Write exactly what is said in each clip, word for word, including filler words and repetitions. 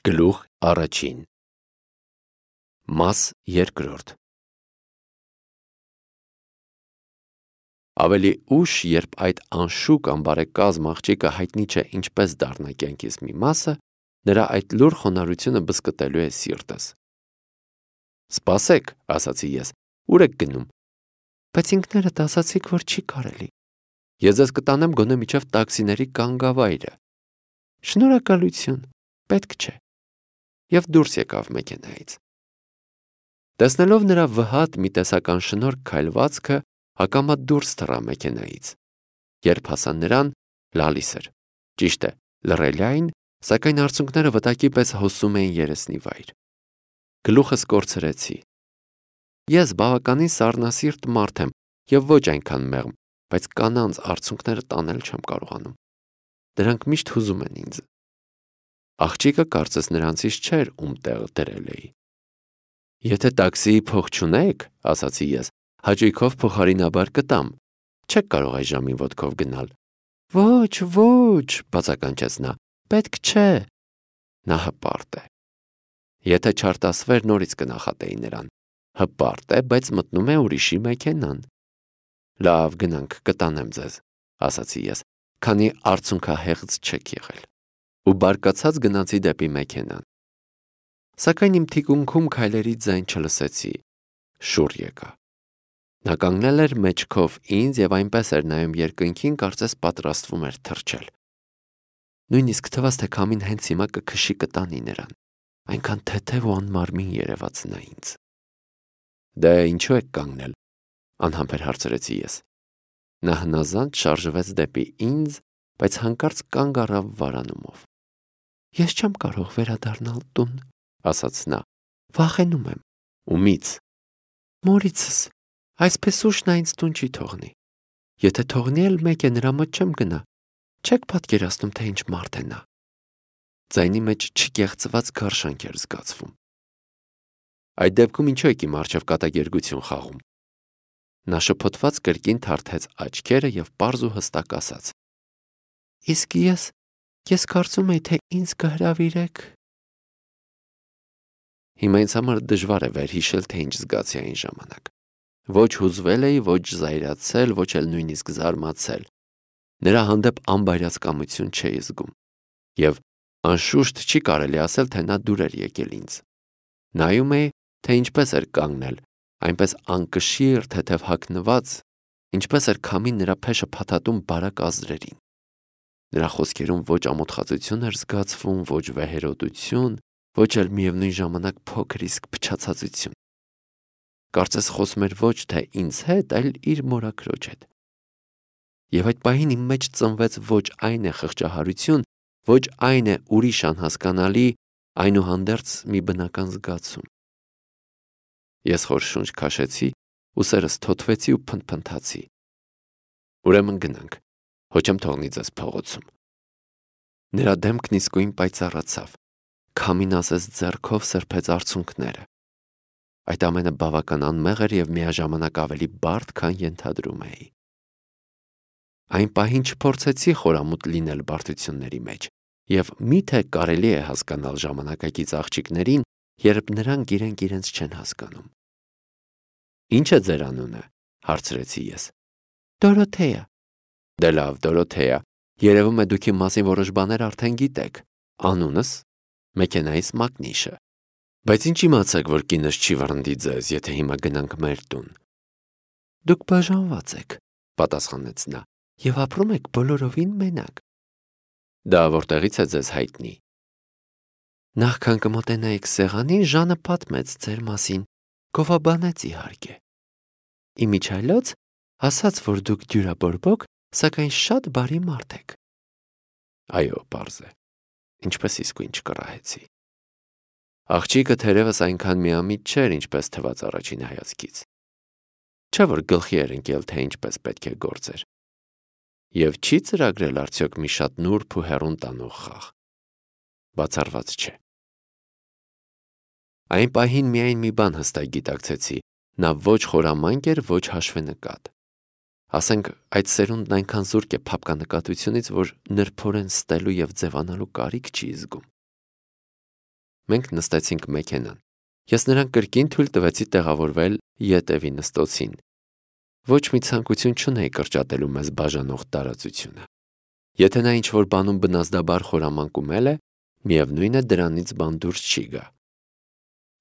Գլուխ առաջին Մաս երկրորդ Ավելի ուշ, երբ այդ անշուք անբարեկազմ աղջիկը հայտնի չէ ինչպես դառնա կյանքիս մի մասը, նրա այդ լուր խոնարհությունը բզկտելու է սիրտս։ «Սպասեք», ասացի ես, «ուր եք գնում»։ «Բայց ինքներդ ասացիք, որ չի կարելի»։ «Ես ձեզ կտանեմ գոնե մինչև տաքսիների կանգավայրը»։ «Շնորհակալություն, պետք չէ»։ Եվ դուրս եկավ մեքենայից։ Տեսնելով նրա վհատ մի տեսական շնորհք քայլվածքը, հակամա դուրս թռա մեքենայից։ Երբ հասա նրան, լալիս էր։ Ճիշտ է, լռելիայն, սակայն արցունքները վտակի պես հոսում էին երեսնի վայր։ Գլուխս կորցրեցի։ Ես բավականին սառնասիրտ մարդ եմ և ոչ այնքան մեղմ, բայց կանանց արցունքները տանել չեմ կարողանում։ Դրանք միշտ հուզում են ինձ։ Աղջիկը կարծես նրանցից չէր, ում տեղը դրել էի։ «Եթե տաքսիի փող չունեք, — ասացի ես, — հաճույքով փոխարինաբար կտամ, չեք կարող այս ժամին ոտքով գնալ»։ «Ոչ, ոչ», բացականչեց նա, «պետք չէ»։ Նա հպարտ է։ Եթե չարտասվեր, նորից կնախատեի նրան։ Հպարտ է, բայց մտնում է ուրիշի մեքենան։ «Լավ, գնանք, կտանեմ ձեզ», ասացի ես, քանի արցունքահեղձ չեք եղել։ Ու բարկացած գնացի դեպի մեքենան։ Սակայն իմ թիկունքում քայլերի ձայն չլսեցի։ Շուռ եկա։ Նա կանգնել էր մեջքով ինձ և այնպես էր նայում երկնքին, կարծես պատրաստվում էր թռչել։ Նույնիսկ թվաց, թե քամին հենց հիմա կքշի կտանի նրան։ Այնքան թեթև ու անմարմին երևաց նա ինձ։ «Դե ինչու եք կանգնել», անհամբեր հարցրեցի ես։ Նա հնազանդ շարժվեց դեպի ինձ, բայց հանկարծ կանգ առավ վարանումով։ «Ես չեմ կարող վերադառնալ տուն», ասաց նա, «վախենում եմ»։ «Ումից»։ «Մորիցս, այսպես ուշ նա ինձ տուն չի թողնի։ Եթե թողնի էլ մեկ է, նրա մոտ չեմ գնա։ Չեք պատկերացնում, թե ինչ մարդ է նա»։ Ձայնի մեջ չկեղծված գարշանք էր զգացվում։ «Այդ դեպքում ինչու եք իմ առջև կատակերգություն խաղում»։ Նա շփոթված կրկին թարթեց աչքերը և պարզ ու հստակ ասաց. «Իսկ ես, ես կարծում էի, թե ինձ կհրավիրեք»։ Հիմա ինձ համար դժվար է վերհիշել, թե ինչ զգացի այն ժամանակ։ Ոչ հուզվել էի, ոչ զայրացել, ոչ էլ նույնիսկ զարմացել։ Նրա հանդեպ անբայրացկամություն չէի զգում։ Եվ անշուշտ չի կարելի ասել, թե նա դուր էր եկել ինձ։ Նայում էի, թե ինչպես էր կանգնել, այնպես անկշիռ, թեթև հագնված, ինչպես էր քամին նրա փեշը փաթաթում բարակ ազդրերին։ Նրա խոսքերում ոչ ամոթխածություն էր զգացվում, ոչ վեհերոտություն, ոչ էլ միևնույն ժամանակ փոքր իսկ փչացածություն։ Կարծես խոսում էր ոչ թե ինձ հետ, այլ իր մորաքրոջ հետ։ Եվ այդ պահին իմ մեջ ծնվեց ոչ այն է խղճահարություն, ոչ այն է ուրիշ անհասկանալի, այնուհանդերձ մի բնական զգացում։ Ես խոր շունչ քաշեցի, ուսերս թոթվեցի ու փնթփնթացի։ «Ուրեմն գնանք, հո չեմ թողնի ձեզ փողոցում»։ Նրա դեմքն իսկույն պայծառացավ։ Քամին ասես ձեռքով սրբեց արցունքները։ Այդ ամենը բավական անմեղ էր և միաժամանակ ավելի բարդ, քան ենթադրում էի։ Այն պահին չփորձեցի խորամուտ լինել բարդությունների մեջ, և մի՞թե կարելի է հասկանալ ժամանակակից աղջիկներին, երբ նրանք իրենք իրենց չեն հասկանում։ «Ինչ է ձեր անունը»։ հարցրեցի ես։ «Դորոթեա»։ Դե լավ, Դորոթեա, երևում է դուք իմ մասին որոշ բաներ արդեն գիտեք։ Անունս՝ մեքենայիս մակնիշը։ Բայց ինչ իմացաք, որ կինս չի վռնդի ձեզ, եթե հիմա գնանք մեր տուն։ Դուք բաժանված եք, պատասխանեց նա, և ապրում եք բոլորովին մենակ։ Դա որտեղից է ձեզ հայտնի։ Նախքան կմոտենայիք սեղանին, Ժանը պատմեց ձեր մասին, գովաբանեց իհարկե։ Իմիջիայլոց ասաց, որ դուք դյուրաբորբոք, սակայն շատ բարի մարդ եք։ Այո, պարզ է, ինչպես իսկույն չկռահեցի։ Աղջիկը թերևս այնքան միամիտ չէր, ինչպես թվաց առաջին հայացքից։ Չէ՞ որ գլխի էր ընկել, թե ինչպես պետք է գործեր։ Եվ չի ծրագրել արդյոք մի շատ նուրբ ու հեռուն տանող խաղ։ Բացառված չէ։ Այն պահին միայն մի բան հստակ գիտակցեցի. նա ոչ խորամանկ էր, ոչ հաշվենկատ։ Ասենք, այդ սերունդն այնքան զուրկ է փափկանկատությունից, որ նրբորեն ստելու և ձևանալու կարիք չի զգում։ Մենք նստեցինք մեքենան։ Ես նրան կրկին թույլ տվեցի տեղավորվել ետևի նստոցին։ Ոչ մի ցանկություն չունեի կրճատելու մեզ բաժանող տարածությունը։ Եթե նա ինչ-որ բանում բնազդաբար խորամանկումել է, միևնույն է դրանից բան դուրս չի գա։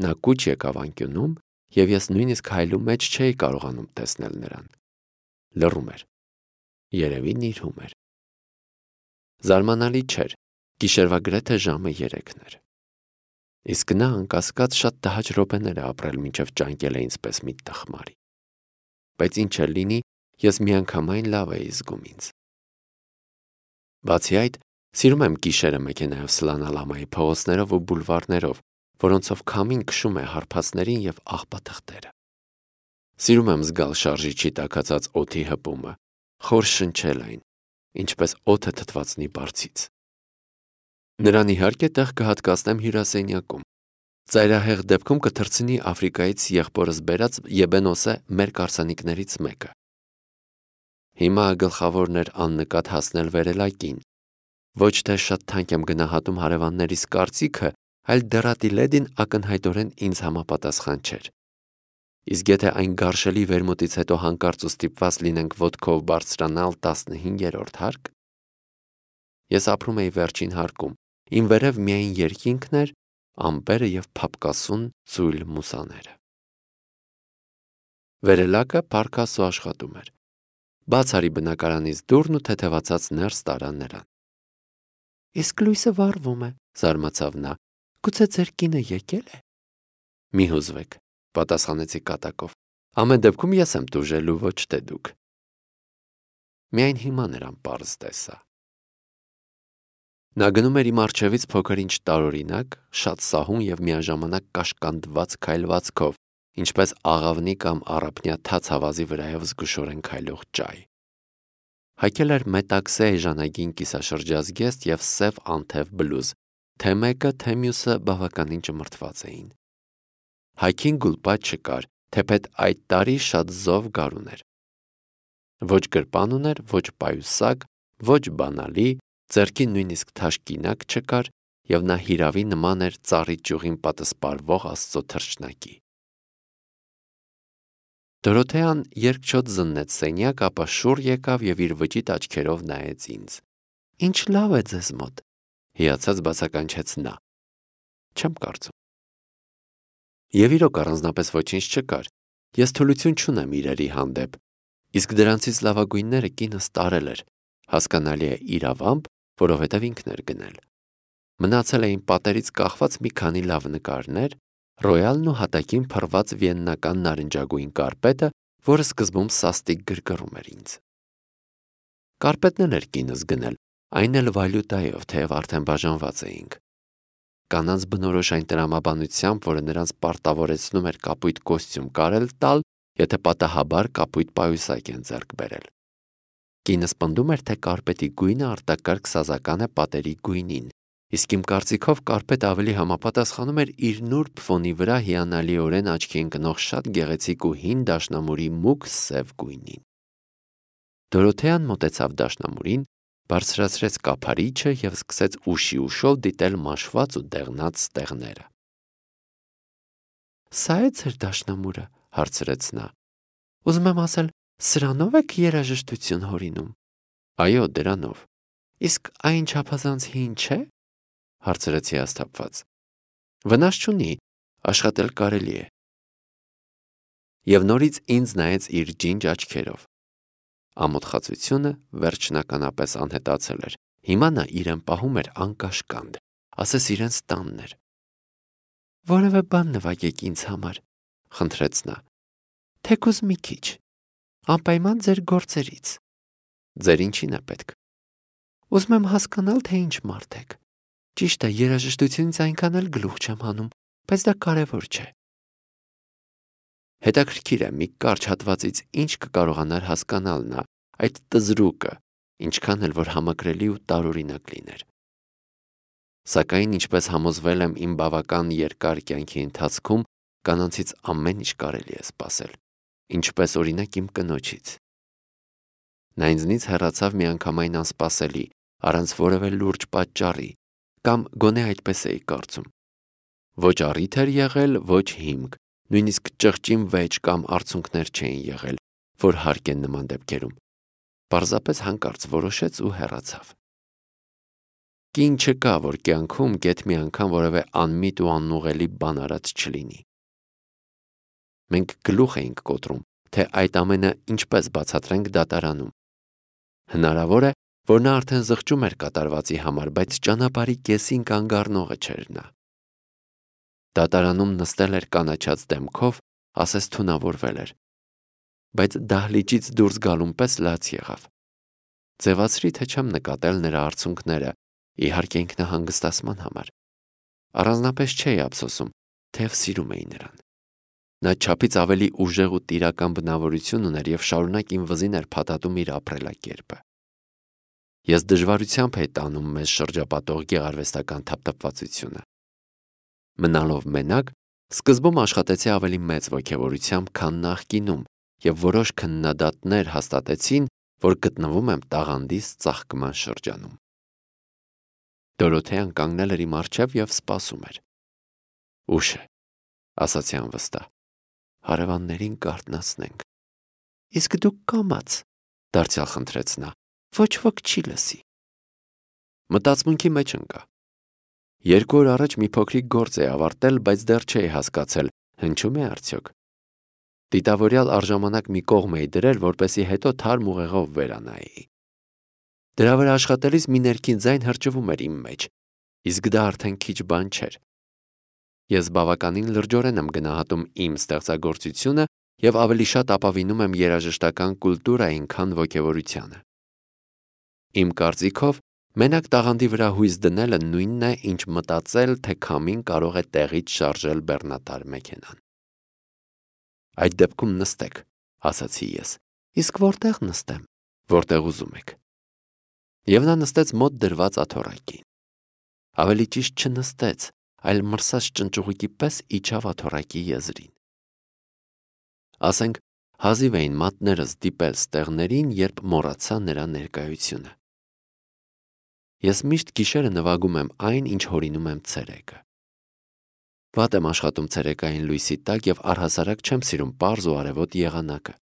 Նա կուչ եկավ անկյունում, և ես նույնիսկ հայլու մեջ չէի կարողանում տեսնել նրան։ Լռում էր։ Երևի նիրհում էր։ Զարմանալի չէր, գիշերվա գրեթե ժամը երեքն էր։ Իսկ նա անկասկած շատ տհաճ րոպեներ է ապրել, մինչև ճանկել է ինձպես մի տխմարի։ Բայց ինչ էլ լինի, ես միանգամայն լավ էի զգում ինձ։ Բացի այդ, սիրում եմ գիշերը մեքենայով սլանալ ամայի փողոցներով ու բուլվարներով, որոնցով քամին քշում է հարբածներին և աղբաթղթերը։ Սիրում եմ զգալ շարժիչի տաքացած օդի հպումը, խոր շնչել այն, ինչպես օդը թթվածնի բարձից։ Նրան իհարկե տեղ կհատկացնեմ հյուրասենյակում։ Ծայրահեղ դեպքում կթռցնի Աֆրիկայից եղբորս բերած եբենոսե մեր կարծանիքներից մեկը։ Հիմա գլխավորն էր աննկատ հասնել վերելակին։ Ոչ թե շատ թանկ եմ գնահատում հարևաններիս կարծիքը, այլ դեռատի լեդին ակնհայտորեն ինձ համապատասխան չէր։ Իսկ եթե այն գարշելի վերմուտից հետո հանկարծ ու ստիպված լինենք ոտքով բարձրանալ տասնհինգերորդ հարկ։ Ես ապրում էի վերջին հարկում, իմ վերև միայն երկինքն էր, ամպերը և փափկասուն ծույլ մուսաները։ Վերելակը պարկաս ու աշխատում էր։ Բաց արի բնակարանից դուռն ու թեթևացած ներս տարա նրան։ Իսկ լույսը վառվում է, զարմացավ նա, գուցե ձեր կինը եկել է։ Մի հուզվեք, պատասխանեցի կատակով, ամեն դեպքում ես եմ տուժելու, ոչ թե դուք։ Միայն հիմա նրան պարզ տեսա։ Նա գնում էր իմ առջևից փոքր-ինչ տարօրինակ, շատ սահուն և միաժամանակ կաշկանդված քայլվածքով, ինչպես աղավնի կամ առափնյա թաց հավազի վրայով զգուշորեն քայլող ճայ։ Հագել էր մետաքսե էժանագին կիսաշրջազգեստ և սև անթև բլուզ, թե մեկը, թե մյուսը բավականին ճմրթված էին։ Հագին գուլպատ չկար, թեպետ այդ տարի շատ զով գարուն էր։ Ոչ գրպան ուներ, ոչ պայուսակ, ոչ բանալի, ձեռքին նույնիսկ թաշկինակ չկար, և նա հիրավի նման էր ծառի ճյուղին պատսպարվող աստծո թռչնակի։ Դորոթեան երկչոտ զննեց սենյակ, ապա շուռ եկավ և իր վճիտ աչքերով նայեց ինձ։ Ինչ լավ է ձեզ մոտ, հիացած բացականչեց նա։ Չեմ կարծում։ Եվ իրոք առանձնապես ոչինչ չկար։ Ես թուլություն չունեմ իրերի հանդեպ, իսկ դրանցից լավագույնները կինս տարել էր, հասկանալի է իրավամբ, որովհետև ինքն էր գնել։ Մնացել էին պատերից կախված մի քանի լավ նկարներ, ռոյալն ու հատակին փռված վիեննական նարնջագույն կարպետը, որը սկզբում սաստիկ գրգռում էր ինձ։ Կարպետն էլ էր կինս գնել, այն էլ վալյուտայով, թեև արդեն բաժանված էինք։ Կանանց բնորոշ այն տրամաբանությամբ, որը նրանց պարտավորեցնում էր կապույտ կոստյում կարել տալ, եթե պատահաբար կապույտ պայուսակ են ձեռք բերել։ Կինս պնդում էր, թե կարպետի գույնը արտակարգ սազական է պատերի գույնին, իսկ իմ կարծիքով կարպետը ավելի համապատասխանում էր իր նուրբ ֆոնի վրա հիանալիորեն աչքի ընկնող շատ գեղեցիկ ու հին դաշնամուրի մուգ սև գույնին։ Դորոթեան մոտեցավ դաշնամուրին, բարձրացրեց կափարիչը և սկսեց ուշի ուշով դիտել մաշված ու դեղնած ստեղները։ Սա է ձեր դաշնամուրը, հարցրեց նա։ Ուզում եմ ասել, սրանով եք երաժշտություն հորինում։ Այո, դրանով։ Իսկ այն չափազանց հին չէ, հարցրեց հիասթափված։ Վնաս չունի, աշխատել կարելի է։ Եվ նորից ինձ նայեց իր ջինջ աչքերով։ Ամոթխածությունը վերջնականապես անհետացել էր։ Հիմա նա իրեն պահում էր անկաշկանդ, ասես իրենց տանն էր։ Որևէ բան նվագեք ինձ համար, խնդրեց նա։ Թեկուզ մի քիչ։ Անպայման ձեր գործերից։ Ձեր ինչին է պետք։ Ուզում եմ հասկանալ, թե ինչ մարդ եք։ Ճիշտ է, երաժշտությունից այնքան էլ գլուխ չեմ հանում, բայց դա կարևոր չէ։ Հետաքրքիր է, մի կարճ հատվածից ինչ կկարողանար հասկանալ նա, այդ տզրուկը, ինչքան էլ որ համակրելի ու տարօրինակ լիներ։ Սակայն, ինչպես համոզվել եմ իմ բավական երկար կյանքի ընթացքում, կանանցից ամեն ինչ կարելի է սպասել, ինչպես օրինակ իմ կնոջից։ Նա ինձնից հեռացավ միանգամայն անսպասելի, առանց որևէ լուրջ պատճառի, կամ գոնե այդպես էի կարծում։ Ոչ առիթ էր եղել, ոչ հիմք, նույնիսկ ճղճին վեճ կամ արցունքներ չէին եղել, որ հարկ են նման դեպքերում։ Պարզապես հանկարծ որոշեց ու հեռացավ։ Կին չկա, որ կյանքում գեթ մի անգամ որևէ անմիտ ու անուղելի բան արած չլինի։ Մենք գլուխ էինք կոտրում, թե այդ ամենը ինչպես բացատրենք դատարանում։ Հնարավոր է, որ նա արդեն զղջում էր կատարվածի համար, բայց ճանապարհի կեսին կանգ առնողը չէր նա։ Դատարանում նստել էր կանաչած դեմքով, ասես թունավորվել էր, բայց դահլիճից դուրս գալուն պես լաց եղավ։ Ձևացրի, թե չեմ նկատել նրա արցունքները, իհարկե ինքնահանգստացման համար։ Առանձնապես չէի ափսոսում, թեև սիրում էի նրան։ Նա չափից ավելի ուժեղ ու տիրական բնավորություն ուներ և շարունակ իմ վզին էր փաթաթում իր ապրելակերպը։ Ես դժվարությամբ էի տանում մեզ շրջապատող գեղարվեստական թափթփվածությունը։ Մնալով մենակ, սկզբում աշխատեցի ավելի մեծ ոգևորությամբ, քան նախկինում, և որոշ քննադատներ հաստատեցին, որ գտնվում եմ տաղանդիս ծաղկման շրջանում։ Դորոթեան կանգնել էր իմ առջև և սպասում էր։ Ուշ է, ասացի անվստահ, հարևաններին կարթնացնենք։ Իսկ դուք կամաց, դարձյալ խնդրեց նա, ոչ ոք չի լսի։ Մտածմունքի մեջ ընկա։ Երկու օր առաջ մի փոքրիկ գործ էի ավարտել, բայց դեռ չէի հասկացել, հնչում է արդյոք։ Դիտավորյալ առժամանակ մի կողմ էի դրել, որպեսզի հետո թարմ ուղեղով վերանայեի։ Դրա վրա աշխատելիս մի ներքին ձայն հրճվում էր իմ մեջ, իսկ դա արդեն քիչ բան չէր։ Ես բավականին լրջորեն եմ գնահատում իմ ստեղծագործությունը և ավելի շատ ապավինում եմ երաժշտական կուլտուրային, քան ոգևորությանը։ Իմ կարծիքով, մենակ տաղանդի վրա հույս դնելը նույնն է, ինչ մտածել, թե քամին կարող է տեղից շարժել բեռնատար մեքենան։ Այդ դեպքում նստեք, ասացի ես, իսկ որտեղ նստեմ, որտեղ ուզում եք։ Եվ նա նստեց մոտ դրված աթոռակին։ Ավելի ճիշտ չնստեց, այլ մրսած ճնճուղիկի պես իջավ աթոռակի եզրին։ Ասենք, հազիվ էին մատներս դիպել ստեղներին, երբ մոռացա նրա ներկայությունը։ Ես միշտ գիշերը նվագում եմ այն, ինչ հորինում եմ ցերեկը։ Վատ եմ աշխատում ցերեկային լույսի տակ և առհասարակ չեմ սիրում պարզ ու արևոտ եղանակը։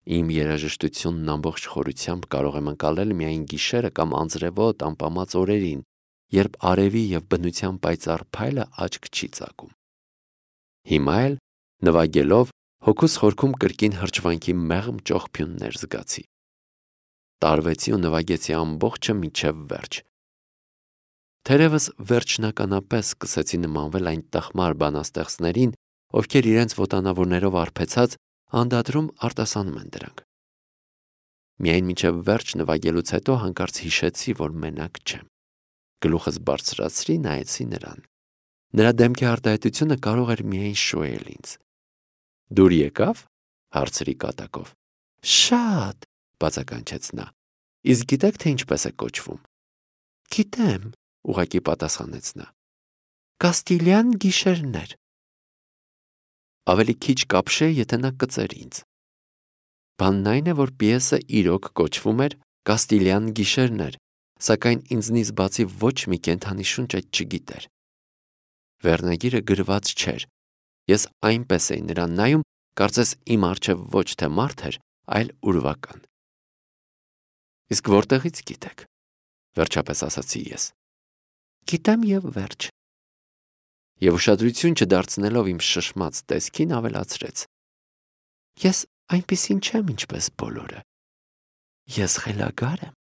Իմ երաժշտությունն ամբողջ խորությամբ կարող եմ ընկալել միայն գիշերը կամ անձրևոտ անպամած օրերին, երբ արևի և բնության պայծառ փայլը աչք չի ծակում։ Հիմա էլ, նվագելով, հոգուս խորքում կրկին հրճվանքի մեղմ ճողփյուններ զգացի։ Տարվեցի ու նվագեցի ամբողջը մինչև վերջ։ Թերևս վերջնականապես սկսեցի նմանվել այն տխմար բանաստեղծներին, ովքեր իրենց ոտանավորներով արբեցած անդադրում արտասանում են դրանք։ Միայն մինչև վերջ նվագելուց հետո հանկարծ հիշեցի, որ մենակ չեմ։ Գլուխս բարձրացրի, նայեցի նրան։ Նրա դեմքի արտահայտությունը կարող էր միայն շոյել ինձ։ Դուր եկավ, հարցրի կատակով։ Շատ, բացականչեց նա։ Իսկ գիտեք, թե ինչպես է կոչվում։ Գիտեմ, ուղղակի պատասխանեց նա։ Կաստիլյան գիշերներ։ Ավելի քիչ կապշե, եթե նա կծեր ինձ։ Բանն այն է, որ պիեսը իրոք կոչվում էր Կաստիլյան գիշերներ, սակայն ինձնից բացի ոչ մի կենդանի շունչ այդ չգիտեր։ Վերնագիրը գրված չէր։ Ես այնպես էի նրան նայում, կարծես իմ առջև ոչ թե մարդ էր, այլ ուրվական։ Իսկ որտեղից գիտեք, վերջապես ասացի ես։ Գիտեմ և վերջ։ Եվ ուշադրություն չդարձնելով իմ շշմած տեսքին ավելացրեց. Ես այնպիսին չեմ, ինչպես բոլորը։ Ես խելագար եմ։